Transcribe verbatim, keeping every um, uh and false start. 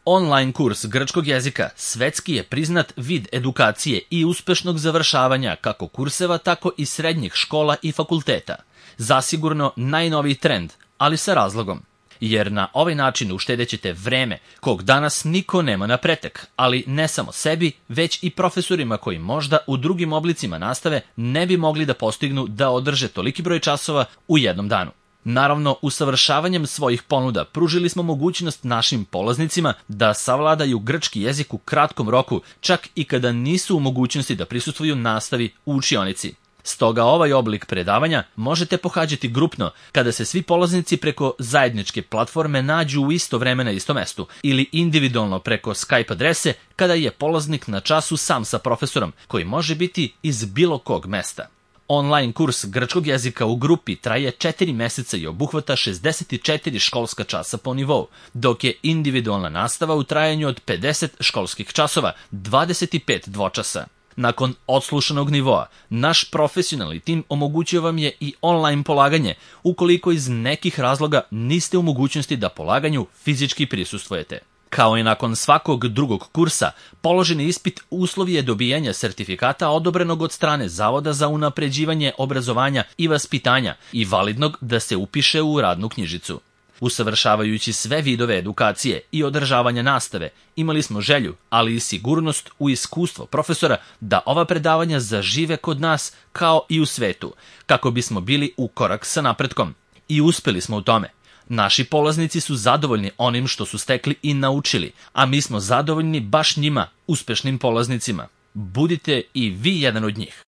Online kurs grčkog jezika svetski je priznat vid edukacije i uspešnog završavanja kako kurseva, tako i srednjih škola i fakulteta. Zasigurno najnoviji trend, ali sa razlogom. Jer na ovaj način uštedećete vreme kog danas niko nema na pretek, ali ne samo sebi, već i profesorima koji možda u drugim oblicima nastave ne bi mogli da postignu da održe toliki broj časova u jednom danu. Naravno, usavršavanjem svojih ponuda pružili smo mogućnost našim polaznicima da savladaju grčki jezik u kratkom roku, čak i kada nisu u mogućnosti da prisustvuju nastavi u učionici. Stoga ovaj oblik predavanja možete pohađati grupno kada se svi polaznici preko zajedničke platforme nađu u isto vreme na istom mestu ili individualno preko Skype adrese kada je polaznik na času sam sa profesorom koji može biti iz bilo kog mesta. Online kurs grčkog jezika u grupi traje četiri meseca i obuhvata šezdeset četiri školska časa po nivou, dok je individualna nastava u trajanju od pedeset školskih časova, dvadeset pet dvočasa. Nakon odslušanog nivoa, naš profesionalni tim omogućio vam je i online polaganje, ukoliko iz nekih razloga niste u mogućnosti da polaganju fizički prisustvujete. Kao i nakon svakog drugog kursa, položeni ispit uslov je dobijanja sertifikata odobrenog od strane Zavoda za unapređivanje obrazovanja i vaspitanja i validnog da se upiše u radnu knjižicu. Usavršavajući sve vidove edukacije i održavanja nastave, imali smo želju, ali i sigurnost u iskustvo profesora da ova predavanja zažive kod nas kao i u svetu, kako bismo bili u korak sa napretkom. I uspeli smo u tome. Naši polaznici su zadovoljni onim što su stekli i naučili, a mi smo zadovoljni baš njima, uspešnim polaznicima. Budite i vi jedan od njih.